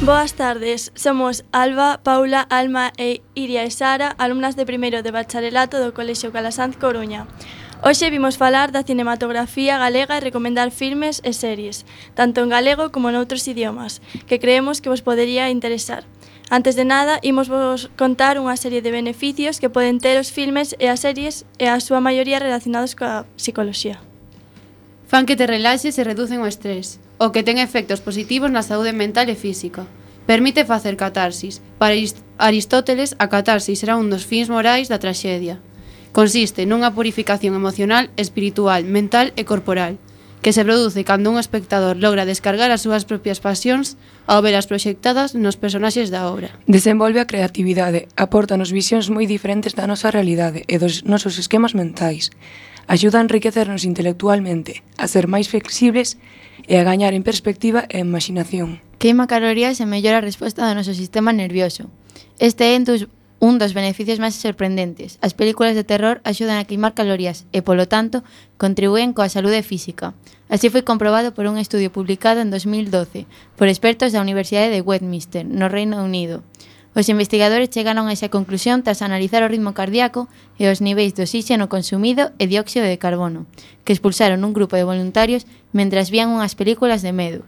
Boas tardes, somos Alba, Paula, Alma e Iria e Sara, alumnas de primeiro de bacharelato do Colexio Calasanz Coruña. Hoxe vimos falar da cinematografía galega e recomendar filmes e series, tanto en galego como noutros idiomas, que creemos que vos podería interesar. Antes de nada, imos vos contar unha serie de beneficios que poden ter os filmes e as series e a súa maioría relacionados coa psicoloxía. Fan que te relaxes e reducen o estrés, o que ten efectos positivos na saúde mental e física. Permite facer catarsis. Para Aristóteles, a catarsis era un dos fins morais da traxedia. Consiste nunha purificación emocional, espiritual, mental e corporal, que se produce cando un espectador logra descargar as súas propias pasións ao velas proxectadas nos personaxes da obra. Desenvolve a creatividade, apórtanos visións moi diferentes da nosa realidade e dos nosos esquemas mentais. Axuda a enriquecernos intelectualmente, a ser máis flexibles e a gañar en perspectiva e imaginación. Queima calorías e mellora a resposta do noso sistema nervioso. Este é un dos beneficios máis sorprendentes. As películas de terror axudan a queimar calorías e, polo tanto, contribúen coa saúde física. Así foi comprobado por un estudio publicado en 2012 por expertos da Universidade de Westminster, no Reino Unido. Os investigadores chegaron a esa conclusión tras analizar o ritmo cardíaco e os niveis de oxígeno consumido e dióxido de carbono, que expulsaron un grupo de voluntarios mentras vían unhas películas de medo.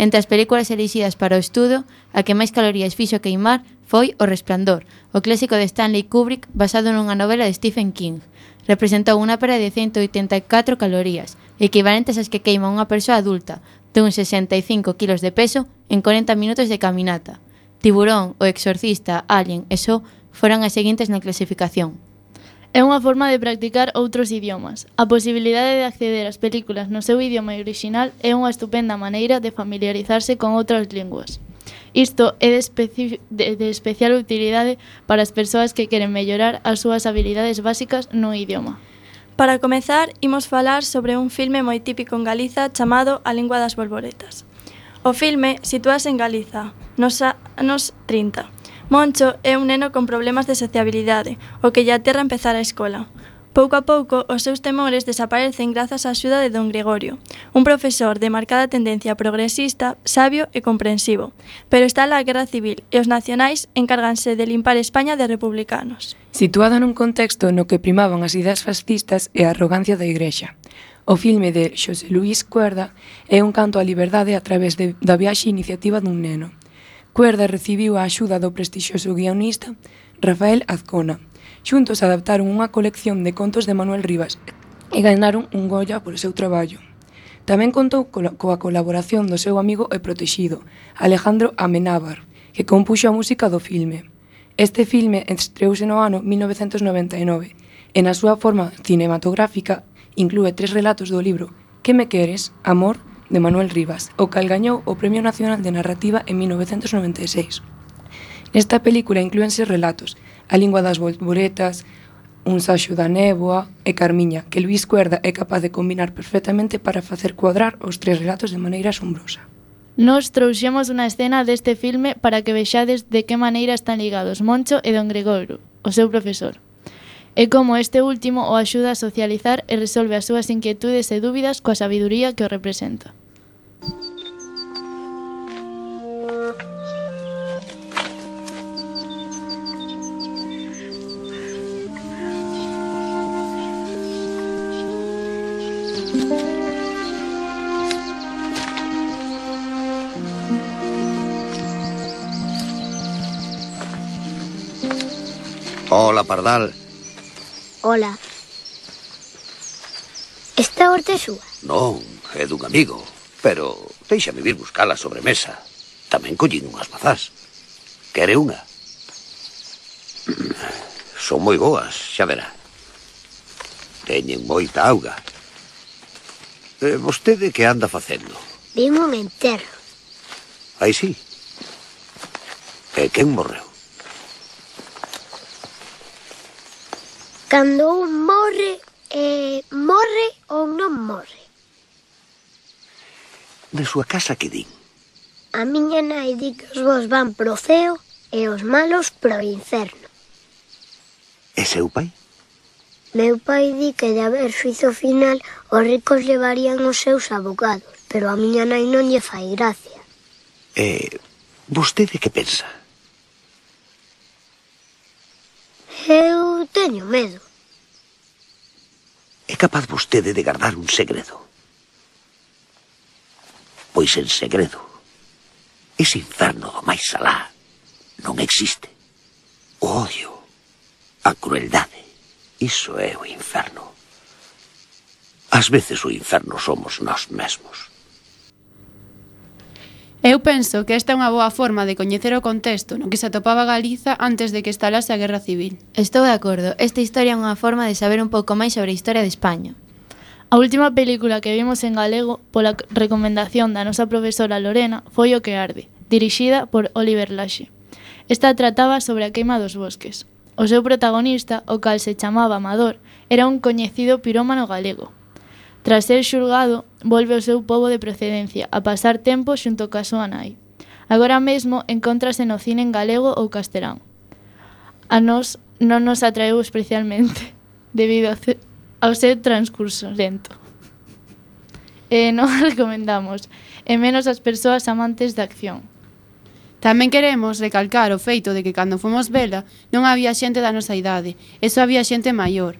Entre as películas elixidas para o estudo, a que máis calorías fixo queimar foi O Resplandor, o clásico de Stanley Kubrick basado nunha novela de Stephen King. Representou unha pérdida de 184 calorías, equivalentes ás que queima unha persoa adulta, de uns 65 kilos de peso, en 40 minutos de caminata. Tiburón, O Exorcista, Alien e So foron as seguintes na clasificación. É unha forma de practicar outros idiomas. A posibilidade de acceder ás películas no seu idioma orixinal é unha estupenda maneira de familiarizarse con outras linguas. Isto é de especial utilidade para as persoas que queren mellorar as súas habilidades básicas no idioma. Para comezar, imos falar sobre un filme moi típico en Galiza chamado A Lingua das Bolboretas. O filme sitúase en Galiza, nos anos 30. Moncho é un neno con problemas de sociabilidade, o que lle aterra empezar a escola. Pouco a pouco, os seus temores desaparecen grazas á axuda de don Gregorio, un profesor de marcada tendencia progresista, sabio e comprensivo. Pero está a Guerra Civil e os nacionais encárganse de limpar España de republicanos. Situado nun contexto no que primaban as ideas fascistas e a arrogancia da Igrexa. O filme de Xosé Luís Cuerda é un canto á liberdade a través da viaxe e iniciativa dun neno. Cuerda recibiu a axuda do prestixioso guionista Rafael Azcona. Xuntos adaptaron unha colección de contos de Manuel Rivas e ganaron un Goya polo seu traballo. Tamén contou coa colaboración do seu amigo e protexido, Alejandro Amenábar, que compuxo a música do filme. Este filme estreouse no ano 1999 e na súa forma cinematográfica inclúe 3 relatos do libro Que me queres, amor, de Manuel Rivas, o cal gañou o Premio Nacional de Narrativa en 1996. Nesta película inclúense relatos A Lingua das Bolboretas, Un saxo da néboa e Carmiña, que Luís Cuerda é capaz de combinar perfectamente para facer cuadrar os 3 relatos de maneira asombrosa. Nos trouxemos unha escena deste filme para que vexades de que maneira están ligados Moncho e don Gregorio, o seu profesor. E como este último o axuda a socializar e resolve as súas inquietudes e dúbidas coa sabiduría que o representa. Hola, Pardal. Hola. Esta horta é súa? Non, é dun amigo, pero déixame vir buscar a sobremesa. Tamén collín unhas mazás. Quere unha? Son moi boas, xa verá. Teñen moita auga. Vostede que anda facendo? Vim un enterro. Aí sí. E quen morreu? Cando un morre ou non morre? De súa casa que din? A miña nai di que os bons van pro ceo e os malos pro inferno. E seu pai? Meu pai di que de haber xuízo final os ricos levarían os seus abogados, pero a miña nai non lle fai gracia. E Vostede que pensa? Eu teño medo. É capaz vostede de guardar un segredo? Pois en segredo, ese inferno do máis alá non existe. O odio, a crueldade, iso é o inferno. Ás veces o inferno somos nós mesmos. Eu penso que esta é unha boa forma de coñecer o contexto no que se atopaba Galiza antes de que estalase a Guerra Civil. Estou de acordo, esta historia é unha forma de saber un pouco máis sobre a historia de España. A última película que vimos en galego pola recomendación da nosa profesora Lorena foi O que arde, dirixida por Oliver Laxe. Esta trataba sobre a queima dos bosques. O seu protagonista, o cal se chamaba Amador, era un coñecido pirómano galego. Tras ser xulgado, volve ao seu pobo de procedencia a pasar tempo xunto ca súa nai. Agora mesmo encóntrase no cine en galego ou castelán. A nós non nos atraeu especialmente, debido ao seu transcurso lento. Non a recomendamos, e menos as persoas amantes da acción. Tamén queremos recalcar o feito de que cando fomos vela non había xente da nosa idade, e só había xente maior.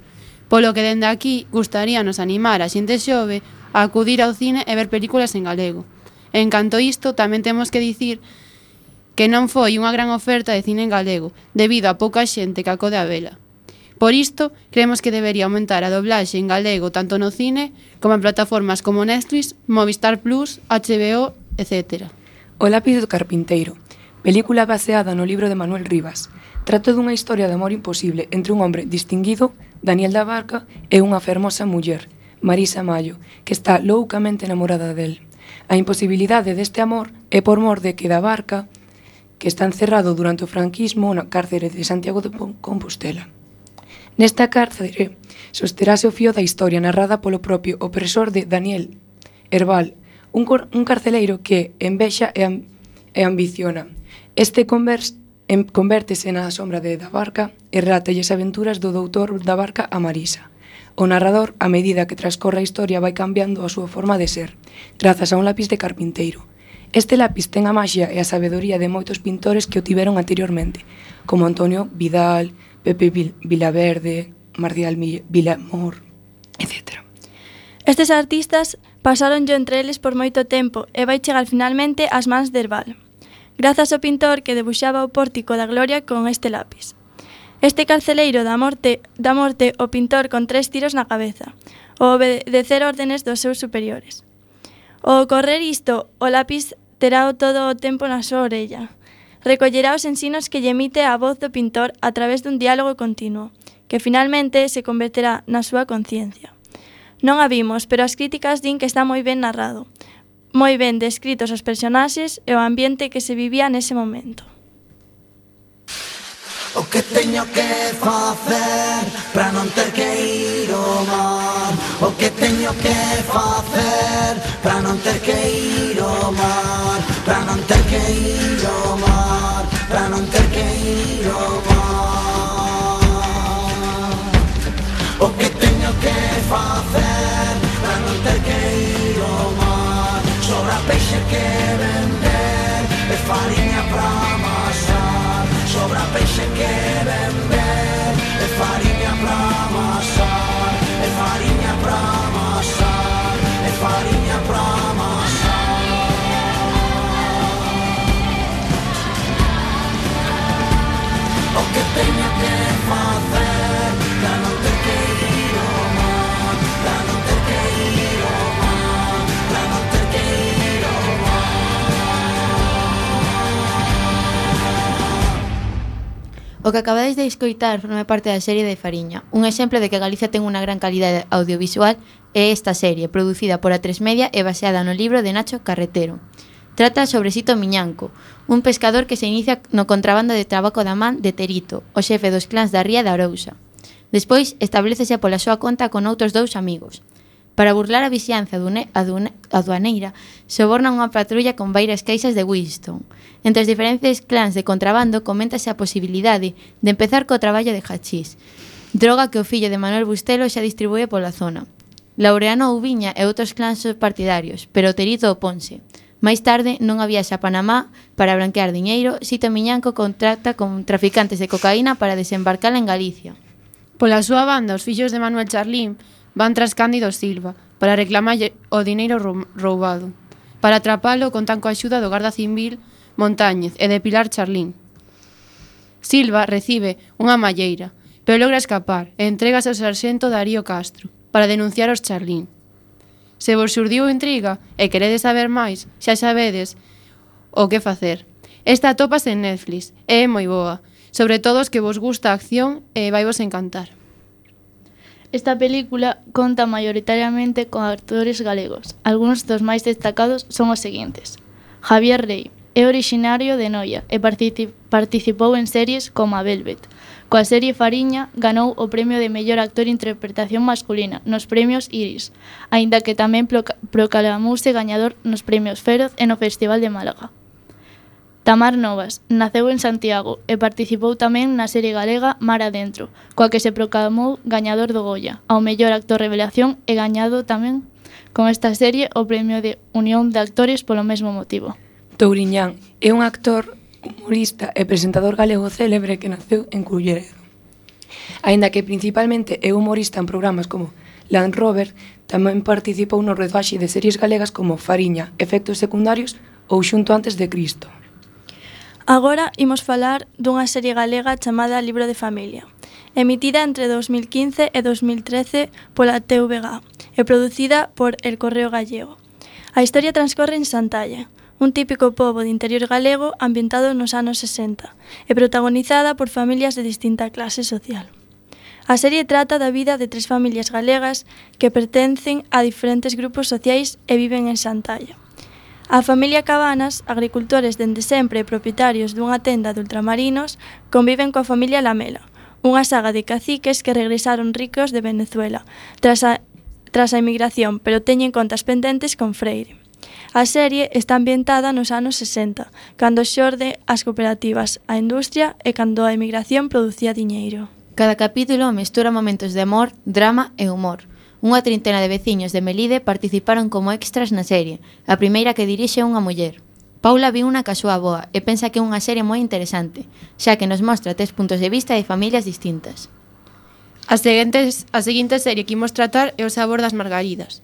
Polo que dende aquí gustaríanos animar a xente xove a acudir ao cine e ver películas en galego. En canto isto, tamén temos que dicir que non foi unha gran oferta de cine en galego, debido a pouca xente que acode a vela. Por isto, creemos que debería aumentar a doblaxe en galego tanto no cine como en plataformas como Netflix, Movistar Plus, HBO, etc. O lápiz do carpinteiro, película baseada no libro de Manuel Rivas. Trata dunha historia de amor imposible entre un hombre distinguido, Daniel da Barca, e unha fermosa muller, Marisa Mayo, que está loucamente enamorada del. A imposibilidade deste amor é por mor de que da Barca, que está encerrado durante o franquismo na cárcere de Santiago de Compostela. Nesta cárcere sosterase o fío da historia narrada polo propio opresor de Daniel Herbal, un carceleiro que envexa e ambiciona. Este convértese na sombra de da Barca e relata as aventuras do doutor da Barca a Marisa. O narrador, a medida que transcorre a historia, vai cambiando a súa forma de ser, grazas a un lápiz de carpinteiro. Este lápiz ten a maxia e a sabedoría de moitos pintores que o tiveron anteriormente, como Antonio Vidal, Pepe Vilaverde, Marcial Vilamor, etc. Estes artistas pasaron entre eles por moito tempo e vai chegar finalmente ás mans de Herbal, grazas ao pintor que debuxaba o pórtico da gloria con este lápiz. Este carceleiro da morte o pintor con 3 tiros na cabeza, o obedecer órdenes dos seus superiores. Ao ocorrer isto, o lápiz terá todo o tempo na súa orella. Recollerá os ensinos que lle emite a voz do pintor a través dun diálogo continuo, que finalmente se converterá na súa conciencia. Non a vimos, pero as críticas din que está moi ben narrado, moi ben descritos os personaxes e o ambiente que se vivía nese momento. O que teño que facer para non ter que ir ao mar? O que teño que facer para non ter que ir ao mar? Para non ter que ir ao mar, para non ter que ir ao mar. O que teño que facer para non ter que ir ao mar? Sobra peixe que vender e fariña para amasar. Sobra peixe que vender e fariña para amasar. E fariña para amasar. E fariña para amasar. O que teño que facer para non ter que ir ao mar? Para non ter que ir ao mar. Para non ter que ir ao mar. O que acabades de escoitar forma parte da serie de Fariña. Un exemplo de que Galicia ten unha gran calidade audiovisual é esta serie, producida por A3 Media e baseada no libro de Nacho Carretero. Trata sobre Sito Miñanco, un pescador que se inicia no contrabando de tabaco da man de Terito, o xefe dos clans da Ría de Arousa. Despois, establecese pola súa conta con outros 2 amigos. Para burlar a vixianza aduaneira, soborna unha patrulla con varias caixas de Winston. Entre os diferentes clans de contrabando coméntase a posibilidade de empezar co traballo de hachís, droga que o fillo de Manuel Bustelo xa distribúe pola zona. Laureano Ubiña e outros clans son partidarios, pero Terito oponse. Máis tarde, non había xa Panamá para branquear diñeiro, Sito Miñanco contrata con traficantes de cocaína para desembarcala en Galicia. Pola súa banda, os fillos de Manuel Charlín van tras Cándido Silva para reclamarlle o dineiro roubado. Para atrapalo, contan coa axuda do Garda Civil Montáñez e de Pilar Charlín. Silva recibe unha malleira, pero logra escapar e entregas ao sarxento Darío Castro para denunciar os Charlín. Se vos xurdiu intriga e queredes saber máis, xa sabedes o que facer. Esta atópase en Netflix e é moi boa, sobre todo os que vos gusta a acción e vai vos encantar. Esta película conta maioritariamente con actores galegos. Algúns dos máis destacados son os seguintes. Javier Rey é orixinario de Noia e participou en series como a Velvet. Coa serie Fariña ganou o premio de mellor actor interpretación masculina nos premios Iris, aínda que tamén proclamouse gañador nos premios Feroz e no Festival de Málaga. Tamar Novas naceu en Santiago e participou tamén na serie galega Mar Adentro, coa que se proclamou gañador do Goya, ao mellor actor revelación e gañado tamén con esta serie o premio de Unión de Actores polo mesmo motivo. Touriñán é un actor, humorista e presentador galego célebre que naceu en Culleredo. Aínda que principalmente é humorista en programas como Land Rover, tamén participou no rodaxe de series galegas como Fariña, Efectos Secundarios ou Xunto antes de Cristo. Agora imos falar dunha serie galega chamada Libro de Familia, emitida entre 2015 e 2013 pola TVG e producida por El Correo Gallego. A historia transcorre en Santalla, un típico pobo de interior galego ambientado nos anos 60 e protagonizada por familias de distinta clase social. A serie trata da vida de 3 familias galegas que pertencen a diferentes grupos sociais e viven en Santalla. A familia Cabanas, agricultores dende sempre e propietarios dunha tenda de ultramarinos, conviven coa familia Lamela, unha saga de caciques que regresaron ricos de Venezuela tras a emigración, pero teñen contas pendentes con Freire. A serie está ambientada nos anos 60, cando xorde as cooperativas, a industria e cando a emigración producía diñeiro. Cada capítulo mestura momentos de amor, drama e humor. Unha trintena de veciños de Melide participaron como extras na serie, a primeira que dirixe unha muller. Paula viu unha ca súa avoa e pensa que é unha serie moi interesante, xa que nos mostra 3 puntos de vista de familias distintas. A seguinte serie que imos tratar é O sabor das margaridas.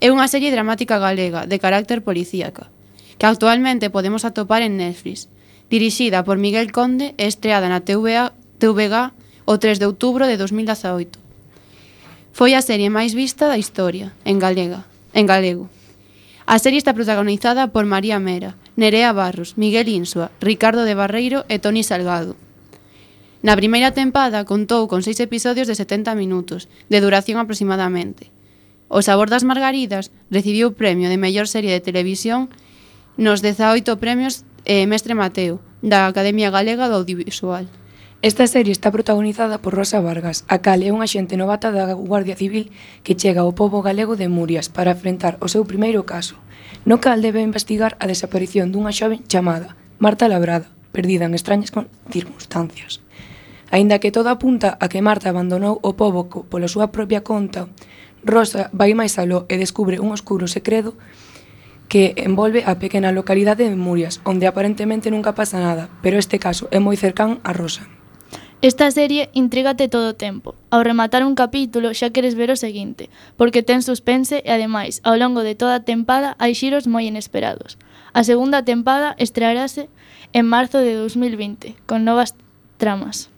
É unha serie dramática galega de carácter policíaca, que actualmente podemos atopar en Netflix, dirixida por Miguel Conde e estreada na TVG o 3 de outubro de 2018. Foi a serie máis vista da historia, en galego. A serie está protagonizada por María Mera, Nerea Barros, Miguel Insua, Ricardo de Barreiro e Toni Salgado. Na primeira tempada contou con 6 episodios de 70 minutos, de duración aproximadamente. O sabor das margaridas recibiu o premio de mellor serie de televisión nos 18 premios Mestre Mateo, da Academia Galega do Audiovisual. Esta serie está protagonizada por Rosa Vargas, a cal é unha xente novata da Guardia Civil que chega ao pobo galego de Murias para enfrentar o seu primeiro caso, no cal debe investigar a desaparición dunha xoven chamada Marta Labrada, perdida en extrañas circunstancias. Aínda que todo apunta a que Marta abandonou o pobo pola súa propia conta, Rosa vai máis aló e descubre un oscuro secreto que envolve a pequena localidade de Murias, onde aparentemente nunca pasa nada, pero este caso é moi cercán a Rosa. Esta serie intrígate todo o tempo. Ao rematar un capítulo xa queres ver o seguinte, porque ten suspense e ademais, ao longo de toda a tempada hai xiros moi inesperados. A segunda tempada estrearase en marzo de 2020, con novas tramas.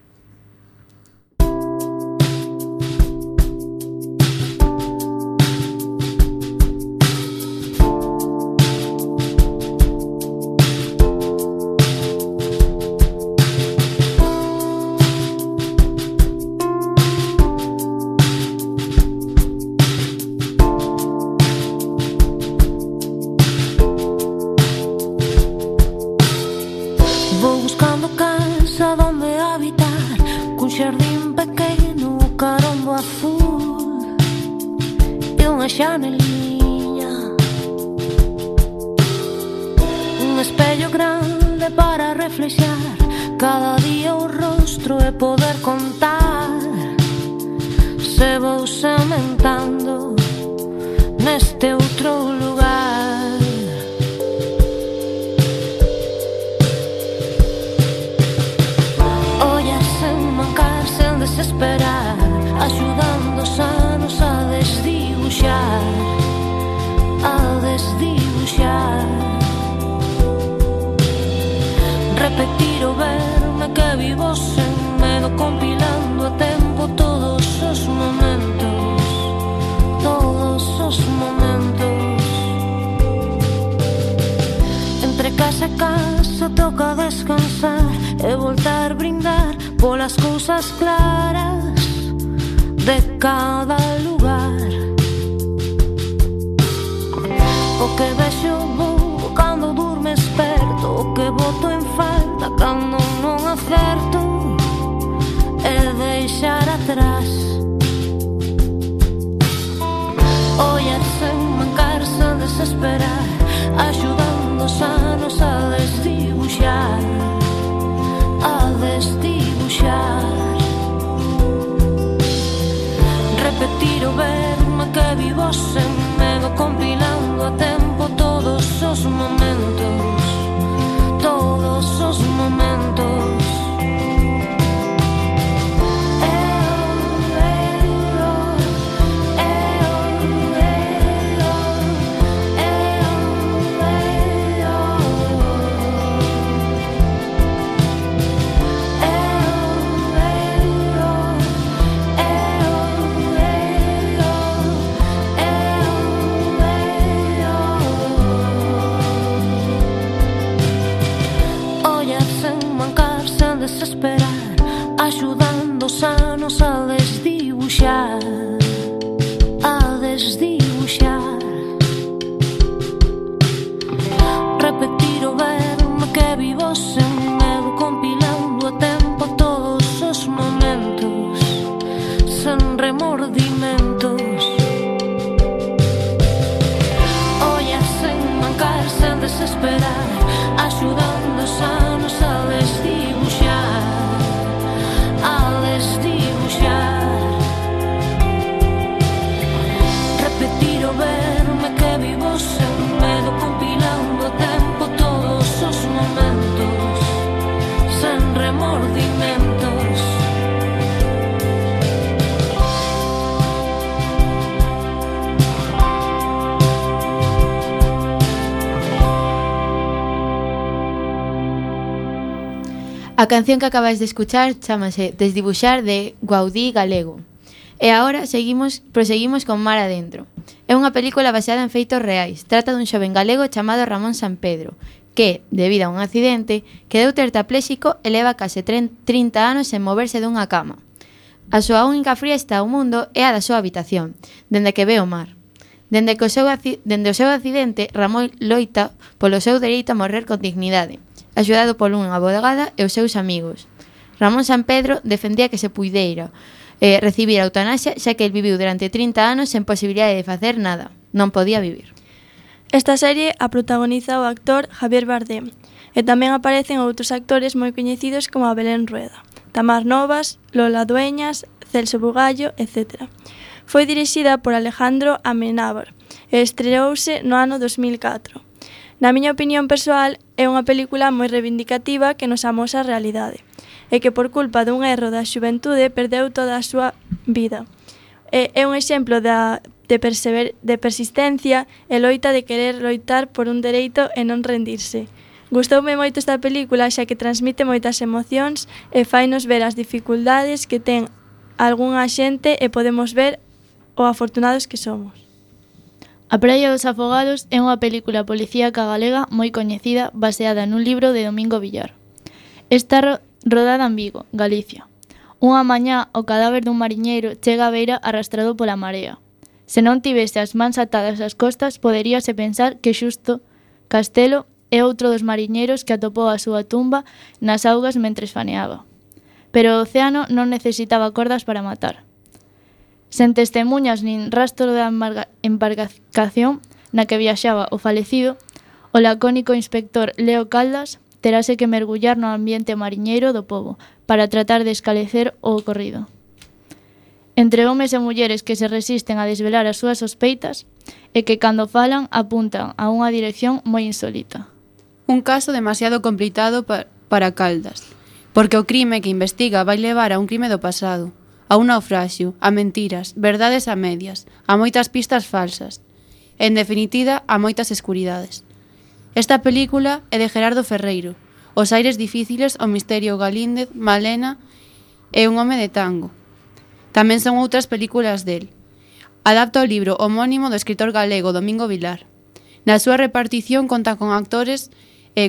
Vou buscando casa donde habitar, cun xardín pequeno, carombo azul e unha xaneliña, un espello grande para reflexar cada día o rostro e poder contar se vou sementando neste outro lugar. desdibuxar. Repetir o verme que vivo sen medo, compilando a tempo todos os momentos, todos os momentos. Entre casa e casa toca descansar e voltar a brindar polas cousas claras de cada lugar. O que vexo vou cando durme esperto, o que boto en falta cando non acerto e deixar atrás. Ollar sen mancar, sen desesperar, axudando os anos a desdibuxar, a desdibuxar. Repetir o verme que vivo sen medo, compilando a tempo todos os momentos, todos os momentos. Desesperar, axudando os anos a desdibuxar, a desdibuxar. Repetir o verme que vivo sen medo, compilando a tempo todos os momentos, sen remordimentos. Ollar sen mancar, sen desesperar, axudando os anos a desdibuxar, a desdibuxar. Repetir o verme que vivo sen medo, compilando a tempo todos os momentos, sen remordimentos. A canción que acabáis de escuchar chámase Desdibuxar de Gaudí Galego. E agora proseguimos con Mar Adentro. É unha película baseada en feitos reais. Trata dun xoven galego chamado Ramón Sampedro, que, debido a un accidente, quedou tetrapléxico e leva case 30 anos sen moverse dunha cama. A súa única friesta ao mundo é a da súa habitación, dende que ve o mar. Dende o seu accidente, Ramón loita polo seu dereito a morrer con dignidade, axudado por unha abogada e os seus amigos. Ramón Sampedro defendía que se puideira recibir a eutanasia, xa que el viviu durante 30 anos sen posibilidade de facer nada. Non podía vivir. Esta serie a protagoniza o actor Javier Bardem e tamén aparecen outros actores moi coñecidos como a Belén Rueda, Tamar Novas, Lola Dueñas, Celso Bugallo, etc. Foi dirixida por Alejandro Amenábar e estreouse no ano 2004. Na miña opinión persoal, é unha película moi reivindicativa que nos amosa a realidade e que por culpa dun erro da xuventude perdeu toda a súa vida. É un exemplo de persistencia e loita de querer loitar por un dereito e non rendirse. Gustoume moito esta película xa que transmite moitas emocións e fainos ver as dificultades que ten algunha xente e podemos ver o afortunados que somos. A Praia dos Afogados é unha película policíaca galega moi coñecida baseada nun libro de Domingo Villar. Está rodada en Vigo, Galicia. Unha mañá, o cadáver dun mariñeiro chega á beira arrastrado pola marea. Se non tivese as mans atadas ás costas, poderíase pensar que xusto Castelo é outro dos mariñeiros que atopou a súa tumba nas augas mentres faneaba. Pero o océano non necesitaba cordas para matar. Sen testemunhas nin rastro da embarcación na que viaxaba o falecido, o lacónico inspector Leo Caldas terase que mergullar no ambiente mariñeiro do pobo para tratar de esclarecer o ocorrido. Entre homes e mulleres que se resisten a desvelar as súas sospeitas e que cando falan apuntan a unha dirección moi insólita. Un caso demasiado complicado para Caldas, porque o crime que investiga vai levar a un crime do pasado, a un naufraxio, a mentiras, verdades a medias, a moitas pistas falsas. En definitiva, a moitas escuridades. Esta película é de Gerardo Ferreiro. Os aires difíciles, o misterio Galíndez, Malena e un home de tango. Tamén son outras películas del. Adapta o libro homónimo do escritor galego Domingo Vilar. Na súa repartición conta con actores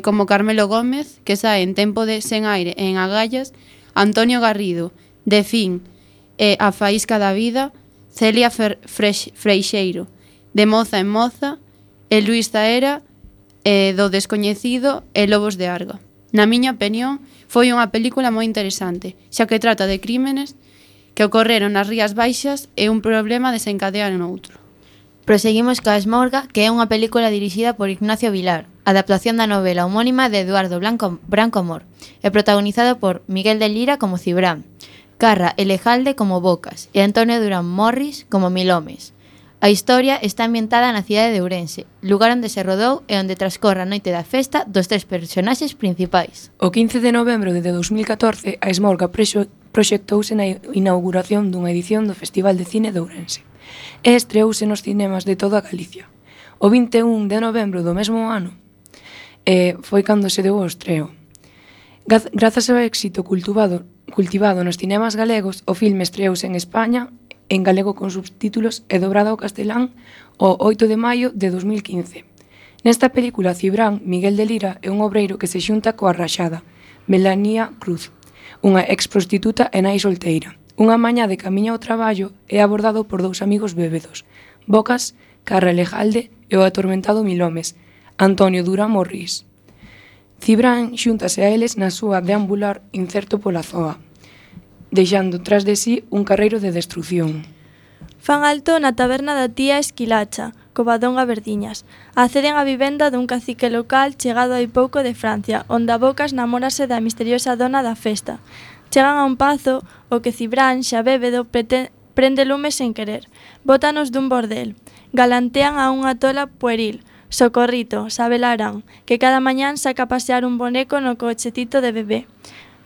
como Carmelo Gómez, que sae en Tempo de Sen Aire e en Agallas, Antonio Garrido, de Fin e A Faísca da Vida, Celia Freixeiro, de Moza en Moza, e Luís Zaera, do Descoñecido e Lobos de Arga. Na miña opinión, foi unha película moi interesante, xa que trata de crímenes que ocorreron nas Rías Baixas e un problema desencadea en outro. Proseguimos coa Esmorga, que é unha película dirixida por Ignacio Vilar, adaptación da novela homónima de Eduardo Branco Amor, e protagonizado por Miguel de Lira como Cibrán, Carra Elejalde como Bocas e Antonio Durán Morris como Milomes. A historia está ambientada na cidade de Ourense, lugar onde se rodou e onde transcorre a noite da festa dos tres personaxes principais. O 15 de novembro de 2014, a Esmorga proxectouse na inauguración dunha edición do Festival de Cine de Ourense e estreouse nos cinemas de toda Galicia. O 21 de novembro do mesmo ano foi cando se deu o estreo. Grazas ao éxito cultivado nos cinemas galegos, o filme estreouse en España en galego con subtítulos e dobrado ao castelán o 8 de maio de 2015. Nesta película, Cibrán, Miguel de Lira, é un obreiro que se xunta coa raxada, Melania Cruz, unha exprostituta e nai solteira. Unha mañá de camiño ao traballo é abordado por dous amigos bébedos, Bocas, Carra Elejalde e o atormentado Milomes, Antonio Durán Morris. Cibrán xúntase a eles na súa deambular incerto pola zoa, deixando tras de sí un carreiro de destrución. Fan alto na taberna da tía Esquilacha, Covadonga Verdiñas. Acceden á vivenda dun cacique local chegado hai pouco de Francia, onde a Bocas namórase da misteriosa dona da festa. Chegan a un pazo, o que Cibrán, xa bébedo, prende lume sen querer. Bótanos dun bordel. Galantean a unha tola pueril, Socorrito, Sabelarán, que cada mañán saca a pasear un boneco no cochetito de bebé.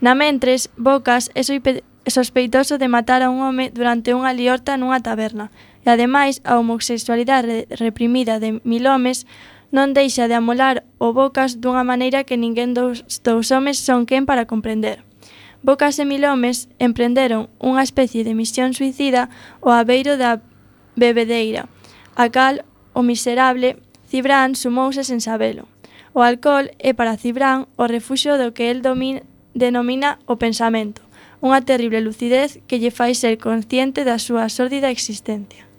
Na mentres, Bocas é sospeitoso de matar a un home durante unha liorta nunha taberna, e ademais a homosexualidade reprimida de Milomes non deixa de amolar o Bocas dunha maneira que ninguén dos homes son quen para comprender. Bocas e Milomes emprenderon unha especie de misión suicida ao abeiro da bebedeira, a cal o miserable Cibrán sumouse sen sabelo. O alcohol é para Cibrán o refuxio do que el denomina o pensamento, unha terrible lucidez que lle fai ser consciente da súa sórdida existencia.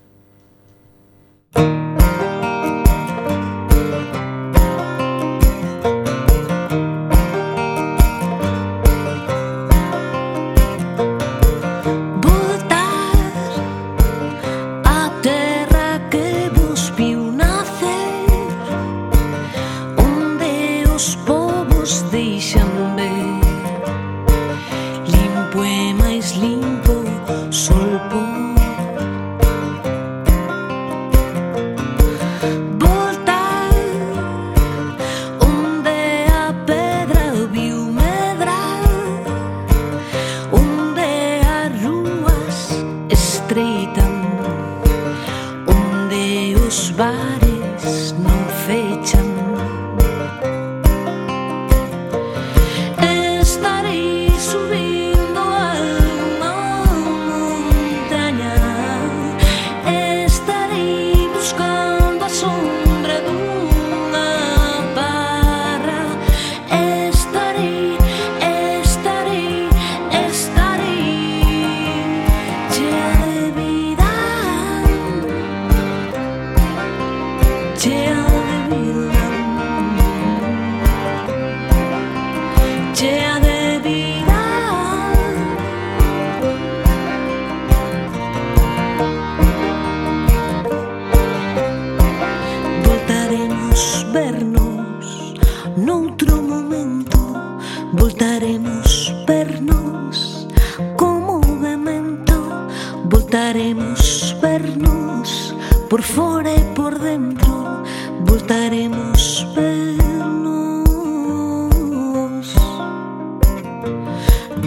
Voltaremos vernos por fora e por dentro, voltaremos vernos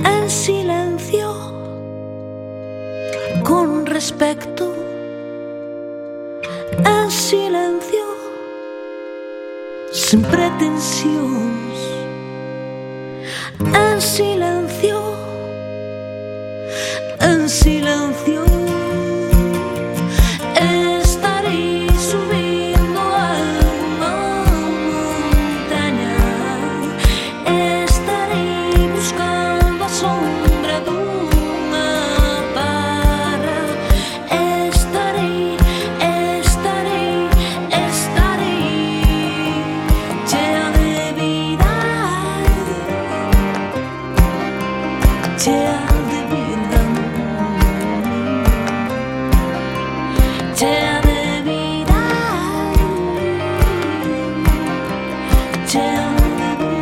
en silencio, con respecto, en silencio, sin pretensións. En silencio, en silencio, estarei subindo a unha montaña, estarei buscando a sombra dunha parra, estarei chea de vida, chea de vida, chea de vida, chea de vida,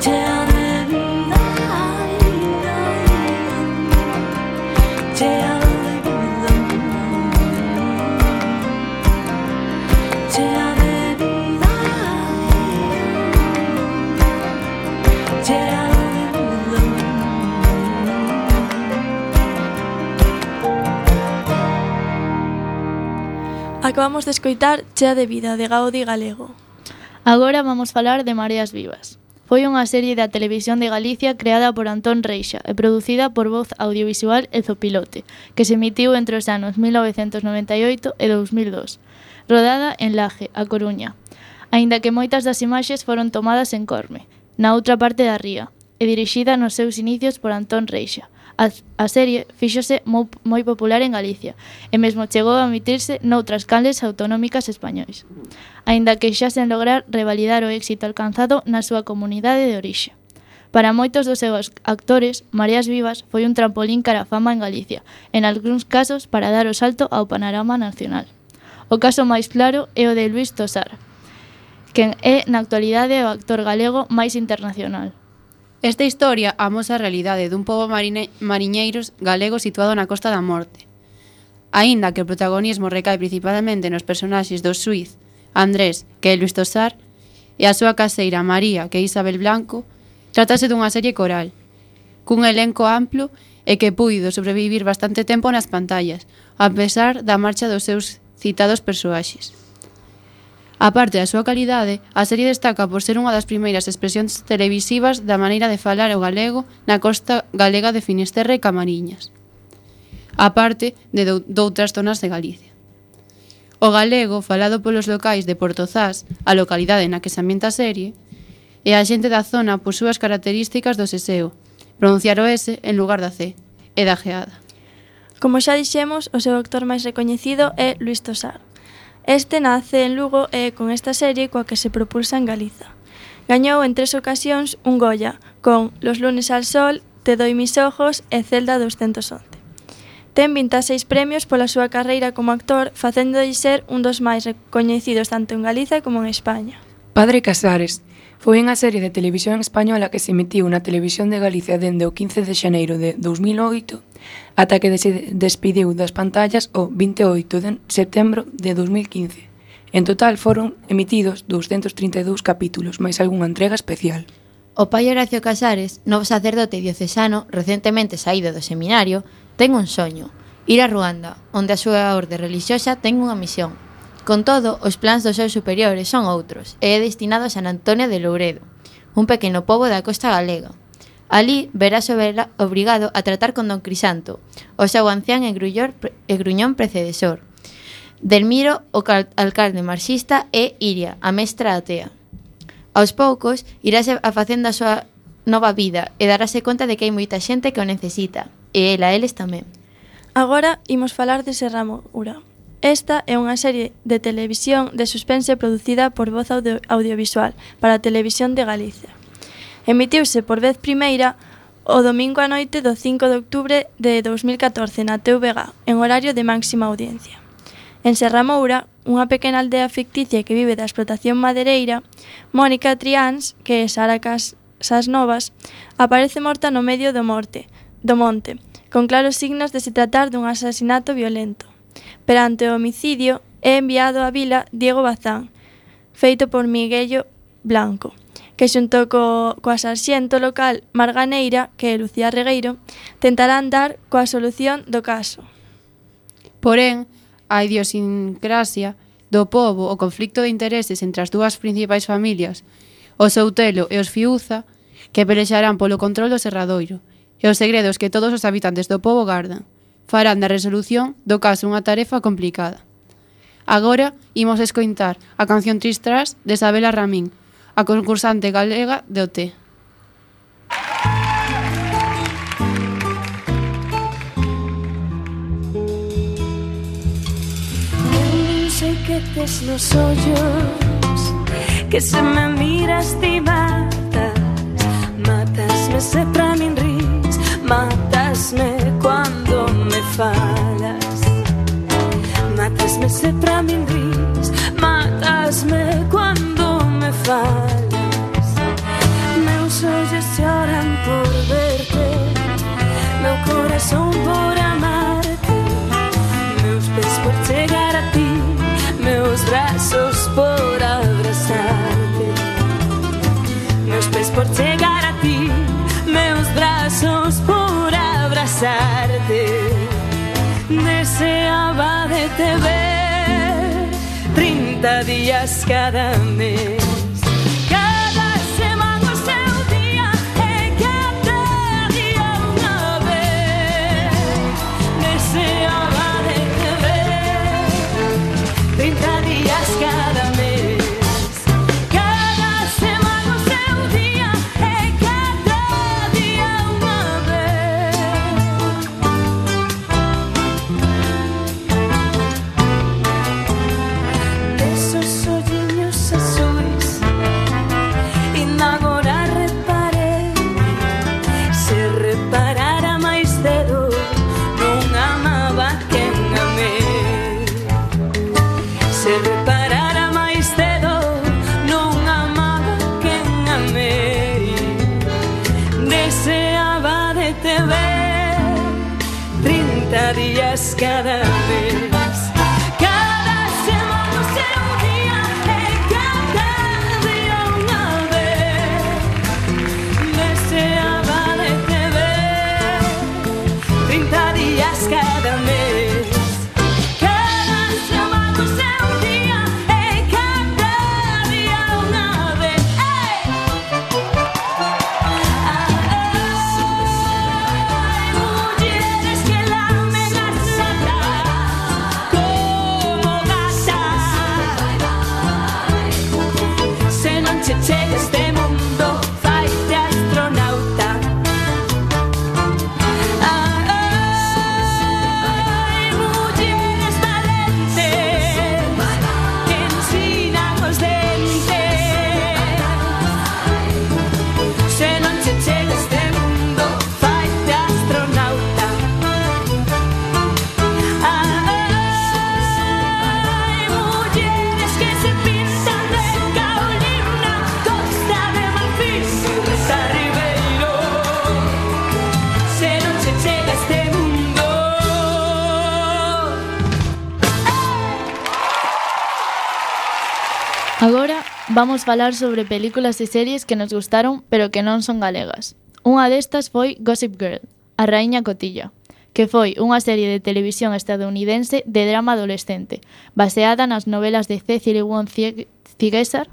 chea de vida, chea de vida, chea de vida, chea de vida. Acabamos de escoitar Chea de vida, de Gaudi Galego. Agora vamos falar de Mareas Vivas. Foi unha serie da Televisión de Galicia creada por Antón Reixa e producida por Voz Audiovisual e Zopilote, que se emitiu entre os anos 1998 e 2002, rodada en Laje, A Coruña, aínda que moitas das imaxes foron tomadas en Corme, na outra parte da ría, e dirixida nos seus inicios por Antón Reixa. A serie fíxose moi popular en Galicia e mesmo chegou a emitirse noutras canles autonómicas españois, aínda que xa sen lograr revalidar o éxito alcanzado na súa comunidade de orixe. Para moitos dos seus actores, Mareas Vivas foi un trampolín cara a fama en Galicia, en algúns casos para dar o salto ao panorama nacional. O caso máis claro é o de Luís Tosar, quen é na actualidade o actor galego máis internacional. Esta historia amosa a realidade dun pobo mariñeiros galego situado na Costa da Morte. Aínda que o protagonismo recae principalmente nos personaxes do xuíz Andrés, que é Luís Tosar, e a súa caseira María, que é Isabel Blanco, trátase dunha serie coral, cun elenco amplo e que puido sobrevivir bastante tempo nas pantallas, a pesar da marcha dos seus citados persoaxes. A parte da súa calidade, a serie destaca por ser unha das primeiras expresións televisivas da maneira de falar o galego na costa galega de Finisterre e Camariñas, a parte de doutras zonas de Galicia. O galego, falado polos locais de Portozás, a localidade na que se ambienta a serie, e a xente da zona por súas características do seseo, pronunciar o S en lugar da C, e da geada. Como xa dixemos, o seu actor máis recoñecido é Luís Tosar. Este nace en Lugo e con esta serie coa que se propulsa en Galiza. Gañou en 3 ocasións un Goya con Los lunes al sol, Te doy mis ojos e Celda 211. Ten 26 premios pola súa carreira como actor, facéndolle ser un dos máis recoñecidos tanto en Galiza como en España. Padre Casares foi unha serie de televisión española que se emitiu na Televisión de Galicia dende o 15 de xaneiro de 2008 ata que se despediu das pantallas o 28 de setembro de 2015. En total foron emitidos 232 capítulos, máis algunha entrega especial. O pai Horacio Casares, novo sacerdote diocesano recentemente saído do seminario, ten un soño, ir a Ruanda, onde a súa orde relixiosa ten unha misión. Con todo, os plans dos seus superiores son outros, e é destinado a San Antonio de Louredo, un pequeno pobo da costa galega. Alí verás obrigado a tratar con don Crisanto, o seu ancián e gruñón precedesor, Delmiro, o alcalde marxista, e Iria, a mestra atea. Aos poucos, irase a facendo a súa nova vida e darase conta de que hai moita xente que o necesita, e eles tamén. Agora imos falar de Serra Moura. Esta é unha serie de televisión de suspense producida por Voz Audiovisual para a Televisión de Galicia. Emitiuse por vez primeira o domingo a noite do 5 de outubro de 2014 na TVG, en horario de máxima audiencia. En Serra Moura, unha pequena aldea ficticia que vive da explotación madeireira, Mónica Triáns, que é Sara Casas Novas, aparece morta no medio do monte, con claros signos de se tratar dun asasinato violento. Perante o homicidio, é enviado á vila Diego Bazán, feito por Miguello Blanco, que xunto coa sarxento local Marganeira, que é Lucía Regueiro, tentarán dar coa solución do caso. Porén, a idiosincrasia do pobo, o conflicto de intereses entre as dúas principais familias, os Soutelo e os Fiuza, que pelexarán polo control do Serradoiro, e os segredos que todos os habitantes do pobo gardan, farán da resolución do caso unha tarefa complicada. Agora imos escoitar a canción Tristras de Sabela Ramín, a concursante galega de OT. Sei que tes nos ollos, que se me miras ti matas, matasme se pra min ris, matasme cuando me falas, matasme se pra min ris, matasme cuando me falas. Meus ollos choran por verte, meu corazón por amarte, meus pés por chegar a ti, meus brazos por abrazarte, meus pés por chegar a ti, meus brazos por abrazarte. Deseaba de te ver 30 días cada mes. Días cada vez. Cada semana o seu día e cada día unha vez. Deseaba de te ver 30 días cada mes. Cada semana o seu día e cada día unha vez. Mulleres que lamen as como gata. Se non che chega este mundo, faite astronauta. Mulleres valentes que ensinan os dentes. Se non che chega este mundo, faite astronauta. Mulleres que se pintan de Caolina, Costa de Marfil, Rita Ribeiro. Se non che chega este mundo. Agora vamos falar sobre películas e series que nos gustaron pero que non son galegas. Unha destas foi Gossip Girl, a raíña Cotilla, que foi unha serie de televisión estadounidense de drama adolescente, baseada nas novelas de Cecily Wong Ziegler.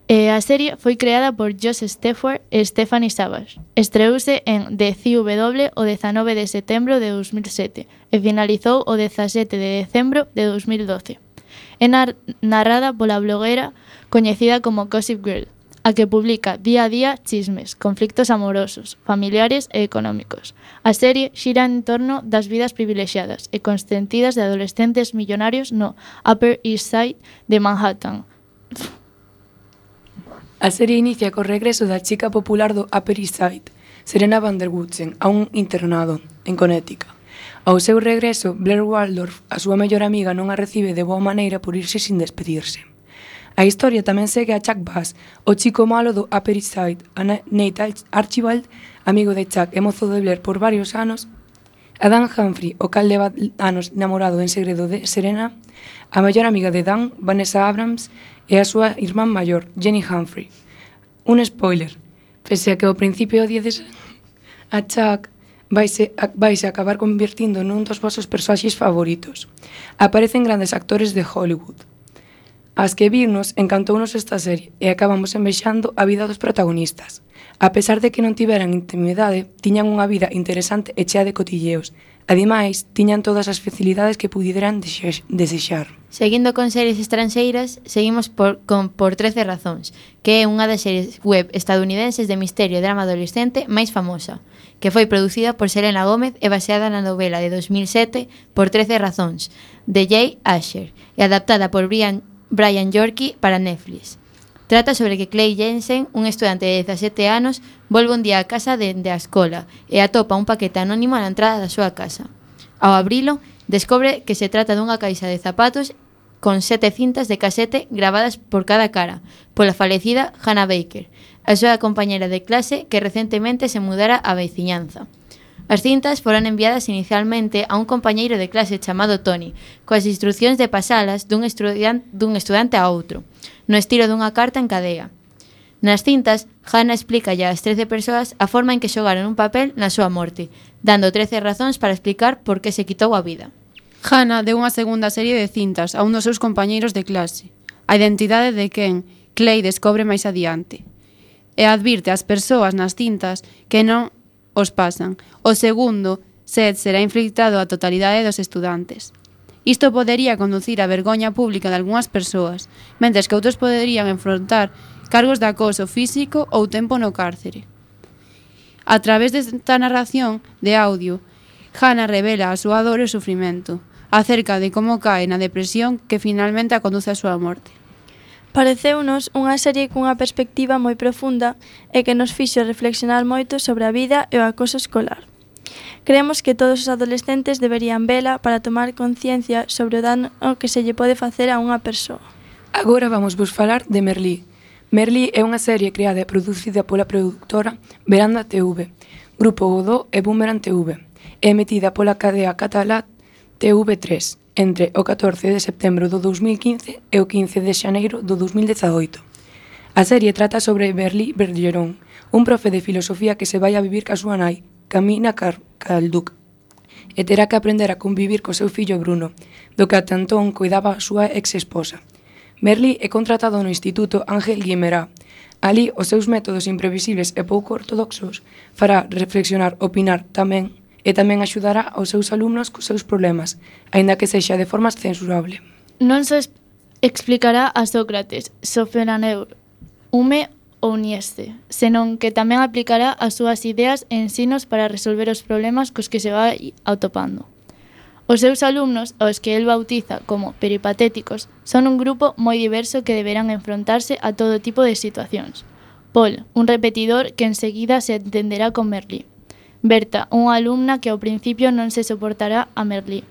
A serie foi creada por Josh Stefford e Stephanie Savage. Estreouse en The CW o 19 de setembro de 2007 e finalizou o 17 de decembro de 2012. É narrada pola blogueira coñecida como Gossip Girl, a que publica día a día chismes, conflictos amorosos, familiares e económicos. A serie xira en torno das vidas privilexiadas e consentidas de adolescentes millonarios no Upper East Side de Manhattan. A serie inicia co regreso da chica popular do Upper East Side, Serena van der Woodsen, a un internado en Connecticut. Ao seu regreso, Blair Waldorf, a súa mellor amiga, non a recibe de boa maneira por irse sin despedirse. A historia tamén segue a Chuck Bass, o chico malo do Upper East Side, a Nate Archibald, amigo de Chuck e mozo de Blair por varios anos, a Dan Humphrey, o cal leva anos namorado en segredo de Serena, a mellor amiga de Dan, Vanessa Abrams, e a súa irmán maior, Jenny Humphrey. Un spoiler, pese a que ao principio odiedes a Chuck, vaise a acabar convertindo nun dos vosos persoaxes favoritos. Aparecen grandes actores de Hollywood. As que vimos encantounos esta serie e acabamos envexando a vida dos protagonistas. A pesar de que non tiveran intimidade, tiñan unha vida interesante e chea de cotilleos. Ademais, tiñan todas as facilidades que puderan desexar. Seguindo con series estranxeiras, seguimos por 13 razóns, que é unha das series web estadounidenses de misterio e drama adolescente máis famosa, que foi producida por Selena Gómez e baseada na novela de 2007 por 13 razóns, de Jay Asher, e adaptada por Brian Yorkie para Netflix. Trata sobre que Clay Jensen, un estudante de 17 anos, volve un día a casa dende a escola e atopa un paquete anónimo na entrada da súa casa. Ao abrilo, descobre que se trata dunha caixa de zapatos con 7 cintas de casete gravadas por cada cara, pola falecida Hannah Baker, a súa compañera de clase que recentemente se mudara á veciñanza. As cintas foron enviadas inicialmente a un compañeiro de clase chamado Tony, coas instruccións de pasalas dun estudante a outro, no estilo dunha carta en cadea. Nas cintas, Hannah explica ás 13 persoas a forma en que xogaron un papel na súa morte, dando 13 razóns para explicar por que se quitou a vida. Hannah deu unha segunda serie de cintas a un dos seus compañeiros de clase, a identidade de quen Clay descobre máis adiante, e advirte ás persoas nas cintas que non os pasan. O segundo set será inflictado á totalidade dos estudantes. Isto podería conducir á vergoña pública de algunhas persoas, mentres que outros poderían enfrontar cargos de acoso físico ou tempo no cárcere. A través desta narración de audio, Hannah revela a súa dor e o sufrimento, acerca de como cae na depresión que finalmente a conduce á súa morte. Pareceunos unha serie cunha perspectiva moi profunda e que nos fixo reflexionar moito sobre a vida e o acoso escolar. Creemos que todos os adolescentes deberían vela para tomar conciencia sobre o dano que se lle pode facer a unha persoa. Agora vamos vos falar de Merlí. Merlí é unha serie creada e producida pola produtora Veranda TV, Grupo Godó e Boomerang TV, e emitida pola cadea catalá TV3 entre o 14 de setembro do 2015 e o 15 de xaneiro do 2018. A serie trata sobre Merlí Bergeron, un profe de filosofía que se vai a vivir ca súa nai, Camina Calduc, e terá que aprender a convivir co seu fillo Bruno, do que ata entón cuidaba a súa ex-esposa. Merlí é contratado no Instituto Ángel Guimerá. Alí, os seus métodos imprevisibles e pouco ortodoxos fará reflexionar, opinar e tamén axudará aos seus alumnos cos seus problemas, aínda que sexa de forma censurable. Non se explicará a Sócrates, Sofenaneur, Hume ou Nieste, senón que tamén aplicará as súas ideas e ensinos para resolver os problemas cos que se vai atopando. Os seus alumnos, aos que el bautiza como peripatéticos, son un grupo moi diverso que deberán enfrontarse a todo tipo de situacións. Paul, un repetidor que enseguida se entenderá con Merlí. Berta, unha alumna que ao principio non se soportará a Merlí.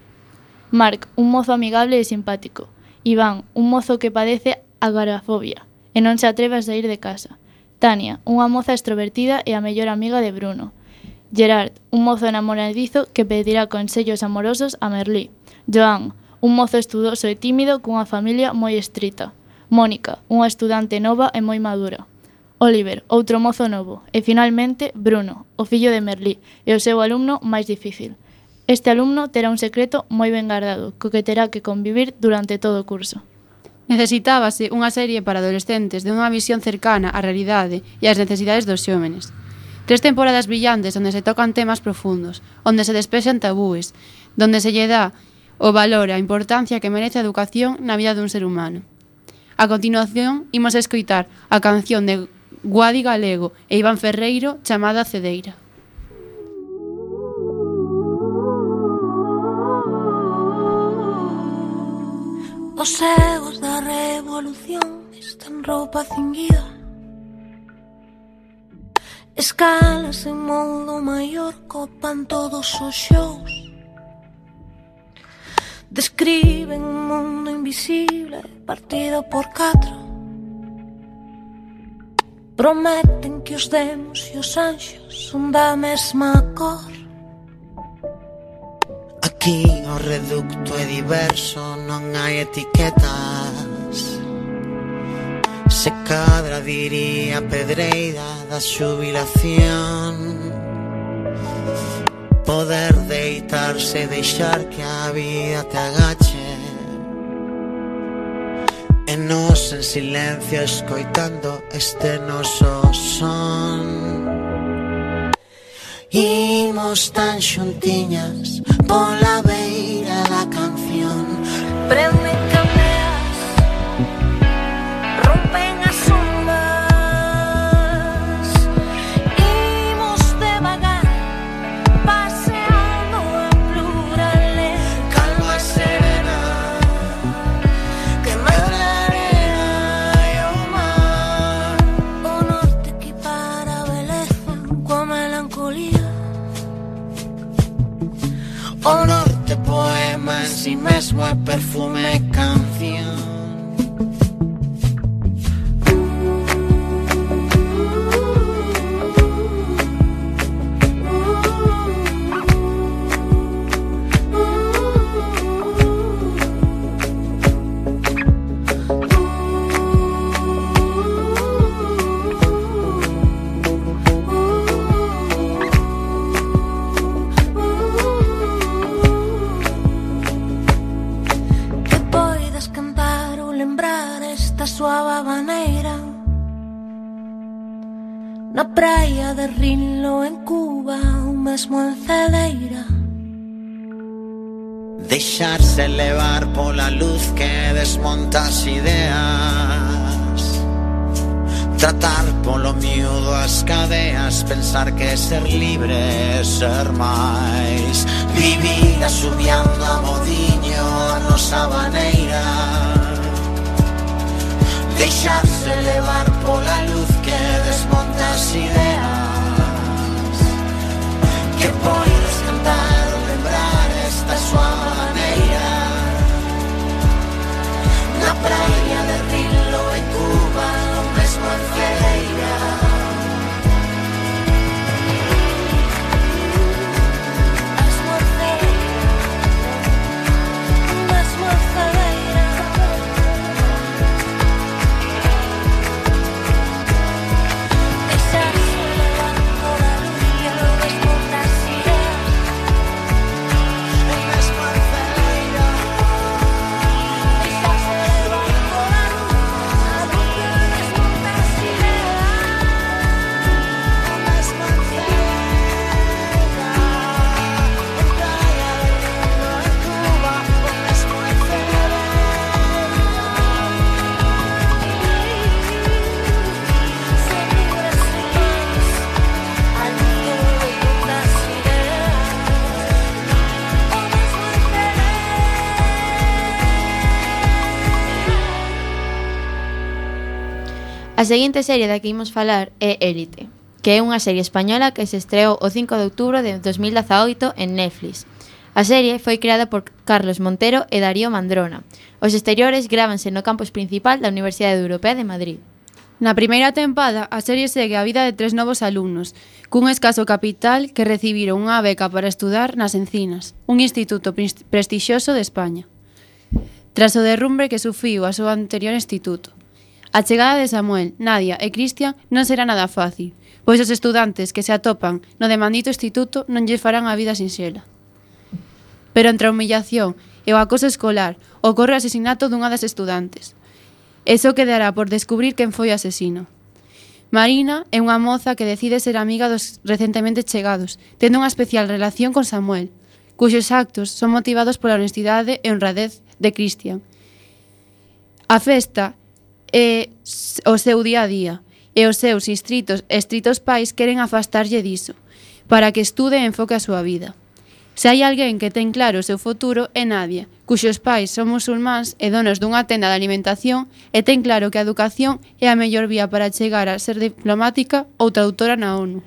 Marc, un mozo amigable e simpático. Iván, un mozo que padece agorafobia e non se atreve a sair de casa. Tania, unha moza extrovertida e a mellor amiga de Bruno. Gerard, un mozo enamoradizo que pedirá consellos amorosos a Merlí. Joan, un mozo estudoso e tímido cunha familia moi estrita. Mónica, unha estudante nova e moi madura. Oliver, outro mozo novo. E finalmente, Bruno, o fillo de Merlí e o seu alumno máis difícil. Este alumno terá un secreto moi ben guardado, co que terá que convivir durante todo o curso. Necesitábase unha serie para adolescentes de unha visión cercana á realidade e ás necesidades dos xóvenes. 3 temporadas brillantes onde se tocan temas profundos, onde se despexan tabúes, donde se lle dá o valor e a importancia que merece a educación na vida dun ser humano. A continuación, imos escoitar a canción de Guadi Galego e Iván Ferreiro chamada Cedeira. Os egos da revolución están roupa cinguida, escalas en modo maior copan todos os xous, describen un mundo invisible partido por 4. Prometen que os demos e os anxos son da mesma cor. Aquí o reducto é diverso, non hai etiquetas. Se cadra diría Pedreira da xubilación. poder deitarse e deixar que a vida te agache, e nos en silencio escoitando este noso son. Imos tan xuntiñas pola beira da canción. Prenden candeas, rompen as ondas. Imos devagar, paseando a plurales. Calma serena, Que medra a arena e o mar. O norte equipara a beleza coa melancolía. o norte poema en si mesmo é perfume e canción. Que poidas cantar ou lembrar esta suave maneira na praia de Rinlo en Cuba ou mesmo en Cedeira. Deixarse levar pola luz que desmonta as ideas, tratar polo miúdo as cadeas, pensar que ser libre é ser máis, vivir asubiando a modiño a nosa maneira, deixarse levar pola luz que desmonta as ideas, que podes cantar ou lembrar esta súa maneira na praia de Rinlo en Cuba ou mesmo en Cedeira. Mesmo en Cedeira, mesmo en Cedeira. Deixarse levar pola luz que desmonta as ideas. Mesmo en Cedeira, Deixarse levar pola luz que desmonta as ideas. mesmo en Cedeira, en praia de Rinlo en Cuba ou mesmo en Cedeira. Ser libres e máis, a luz que desmonta as ideas. O mesmo en A seguinte serie da que imos falar é Élite, que é unha serie española que se estreou o 5 de outubro de 2018 en Netflix. A serie foi creada por Carlos Montero e Darío Mandrona. Os exteriores grábanse no campus principal da Universidade Europea de Madrid. Na primeira tempada, a serie segue a vida de 3 novos alumnos, cun escaso capital que recibiron unha beca para estudar nas Encinas, un instituto prestixioso de España. Tras o derrumbe que sufriu a súa anterior instituto. A chegada de Samuel, Nadia e Cristian non será nada fácil, pois os estudantes que se atopan no demandito instituto non lles farán a vida sinxela. Pero entre a humillación e o acoso escolar ocorre o asesinato dunha das estudantes. E só quedará por descubrir quen foi o asesino. Marina é unha moza que decide ser amiga dos recentemente chegados, tendo unha especial relación con Samuel, cuxos actos son motivados pola honestidade e honradez de Cristian. A festa é o seu día a día, e os seus estritos pais queren afastarlle diso, para que estude e enfoque a súa vida. Se hai alguén que ten claro o seu futuro é Nadia, cuxos pais son musulmáns e donos dunha tenda de alimentación e ten claro que a educación é a mellor vía para chegar a ser diplomática ou traductora na ONU.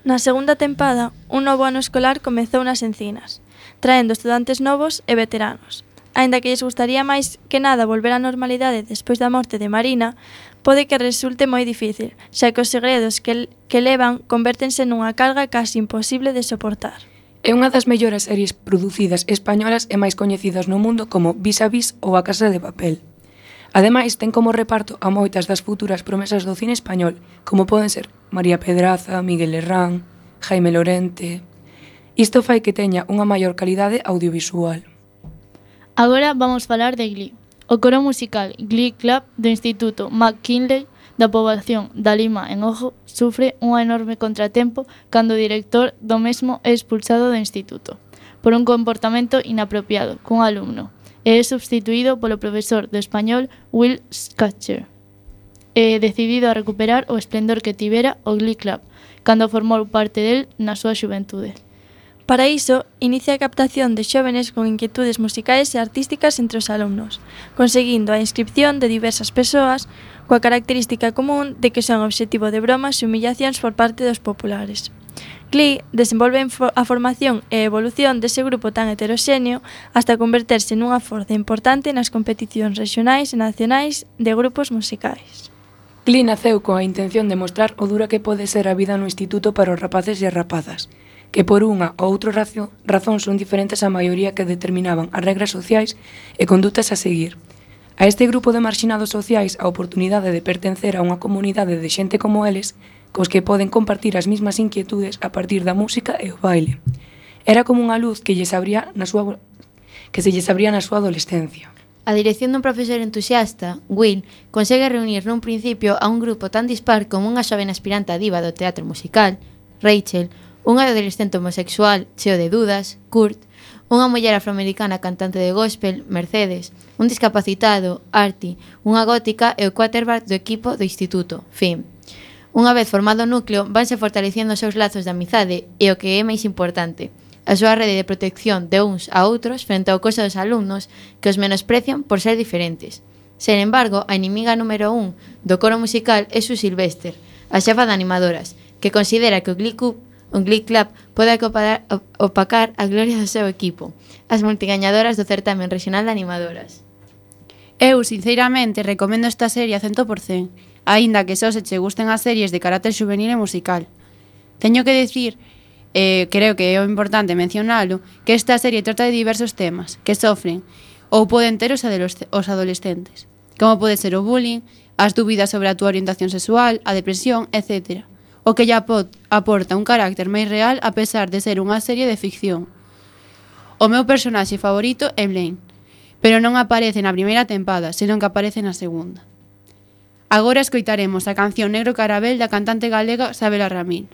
Na segunda tempada, un novo ano escolar comezou nas Encinas, traendo estudantes novos e veteranos. Aínda que lles gustaría máis que nada volver á normalidade despois da morte de Marina, pode que resulte moi difícil, xa que os segredos que levan convértense nunha carga casi imposible de soportar. É unha das mellores series producidas españolas e máis coñecidas no mundo como Vis a Vis ou A Casa de Papel. Ademais, ten como reparto a moitas das futuras promesas do cine español, como poden ser María Pedraza, Miguel Herrán, Jaime Lorente... Isto fai que teña unha maior calidade audiovisual. Agora vamos falar de Glee. O coro musical Glee Club do Instituto McKinley da poboación da Lima en Ojo sufre un enorme contratempo cando o director do mesmo é expulsado do instituto por un comportamento inapropiado cun alumno e é substituído polo profesor de español Will Scatcher, decidido a recuperar o esplendor que tivera o Glee Club cando formou parte del na súa xuventude. Para iso, inicia a captación de xóvenes con inquietudes musicais e artísticas entre os alumnos, conseguindo a inscripción de diversas persoas coa característica común de que son obxectivo de bromas e humillacións por parte dos populares. Glee desenvolve a formación e evolución dese grupo tan heteroxéneo hasta converterse nunha forza importante nas competicións rexionais e nacionais de grupos musicais. Glee naceu coa intención de mostrar o dura que pode ser a vida no instituto para os rapaces e as rapazas, que por unha ou outra razón son diferentes á maioría que determinaban as regras sociais e condutas a seguir. A este grupo de marxinados sociais a oportunidade de pertencer a unha comunidade de xente como eles, cos que poden compartir as mesmas inquietudes a partir da música e o baile. Era como unha luz que se lles abría na súa adolescencia. A dirección dun profesor entusiasta, Will, consegue reunir nun principio a un grupo tan dispar como unha xoven aspirante a diva do teatro musical, Rachel, un adolescente homosexual cheo de dudas, Kurt, unha muller afroamericana cantante de gospel, Mercedes, un discapacitado, Artie, unha gótica e o quarterback do equipo do instituto, Finn. Unha vez formado o núcleo, vanse fortalecendo os seus lazos de amizade e o que é máis importante, a súa rede de protección de uns a outros frente ao coso dos alumnos que os menosprecian por ser diferentes. Sen embargo, a inimiga número 1 do coro musical é Sue Sylvester, a xefa de animadoras, que considera que o Glee Club pode opacar a gloria do seu equipo, as multigañadoras do certamen regional de animadoras. Eu, sinceramente, recomendo esta serie a 100%, aínda que só se che gusten as series de carácter juvenil e musical. Teño que decir, creo que é importante mencionalo, que esta serie trata de diversos temas que sofren ou poden ter os adolescentes, como pode ser o bullying, as dúbidas sobre a túa orientación sexual, a depresión, etc., o que lle aporta un carácter máis real a pesar de ser unha serie de ficción. O meu personaxe favorito é Blaine, pero non aparece na primeira tempada, senón que aparece na segunda. Agora escoitaremos a canción Negro Carabel da cantante galega Sabela Ramil.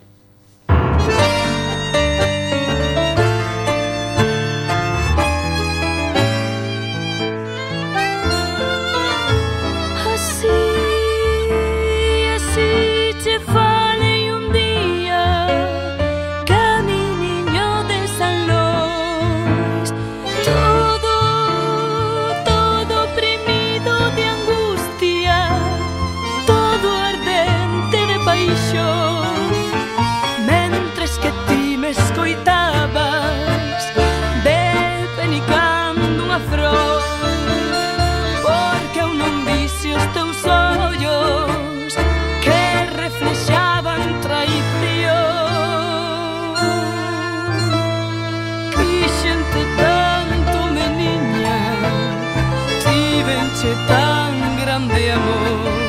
Tan grande amor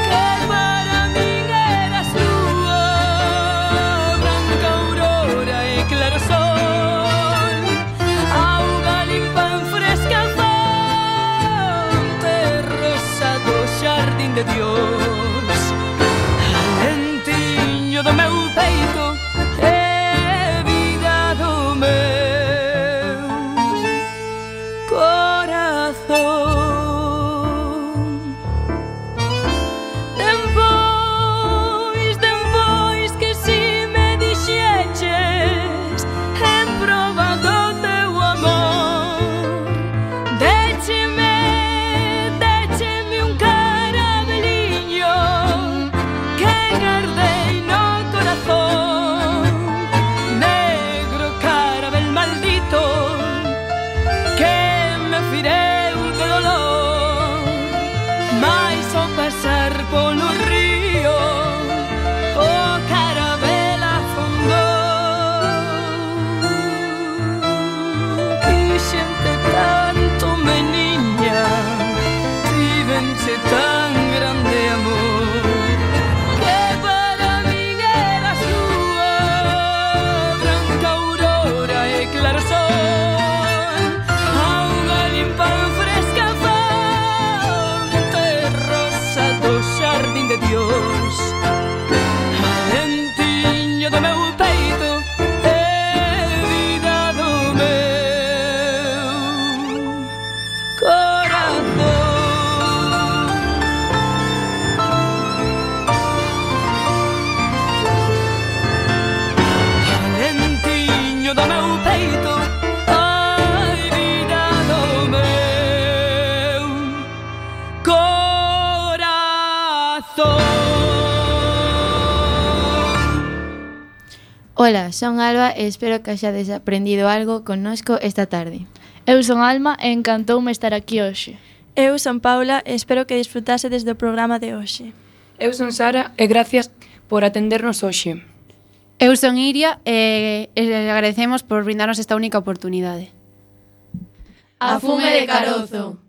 que para min eras lúa, branca aurora e claro sol, auga limpa en fresca fonte, rosa do xardín de Dios, alentiño do meu peito e vida do meu corazón. Décheme un carabelín Ola, son Alba e espero que haxades aprendido algo connosco esta tarde. Eu son Alma e encantoume estar aquí hoxe. Eu son Paula e espero que disfrutasedes do programa de hoxe. Eu son Sara e gracias por atendernos hoxe. Eu son Iria e agradecemos por brindarnos esta única oportunidade. A fume de carozo.